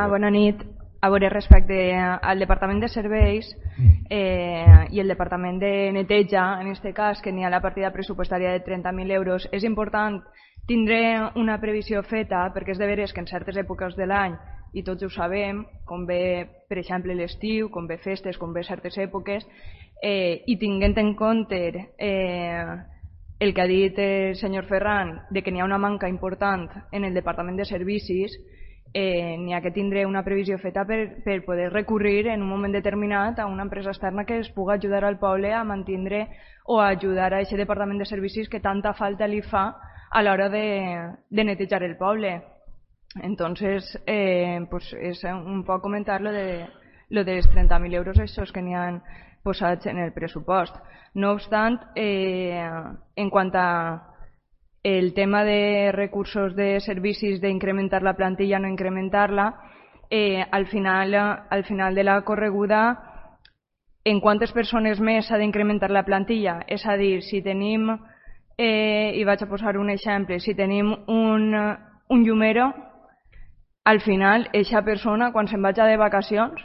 Bona nit. A veure, respecte al Departament de Serveis i el Departament de Neteja, en aquest cas, que n'hi ha la partida pressupostària de 30.000 euros, és important tindre una previsió feta, perquè és de veres que en certes èpoques de l'any, i tots ho sabem, com ve, per exemple, l'estiu, com ve festes, com ve certes èpoques, i tinguent en compte el que ha dit el senyor Ferran, de que n'hi ha una manca important en el Departament de Servicis, n'hi ha que tindre una previsió feta per poder recurrir en un moment determinat a una empresa externa que es pugui ajudar al poble a mantindre o a ajudar a aquest Departament de Servicis que tanta falta li fa a l'hora de netejar el poble. Entonces, pues és un poc comentar lo dels 30.000 euros estos que n'hi han posats en el pressupost. No obstant, en quant a el tema de recursos de servicis, d'incrementar la plantilla o no incrementar-la, al final de la correguda, en quantes persones més s'ha d'incrementar la plantilla? És a dir, si tenim, i vaig a posar un exemple, si tenim un llumero, al final, eixa persona, quan se'n vagi de vacacions,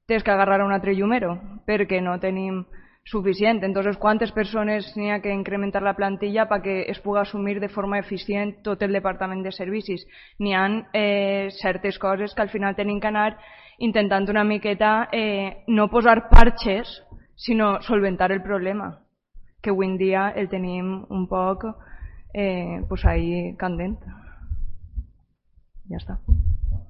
tens que agarrar un altre llumero, perquè no tenim suficient. Entonces, ¿cuántas persones n'hi ha que incrementar la plantilla perquè es pugui assumir de forma eficient tot el Departament de Servicis? N'hi ha certes coses que al final tenim que anar intentant una miqueta no posar parxes, sinó solventar el problema, que avui en dia el tenim un poc pues ahí candent. Ja està.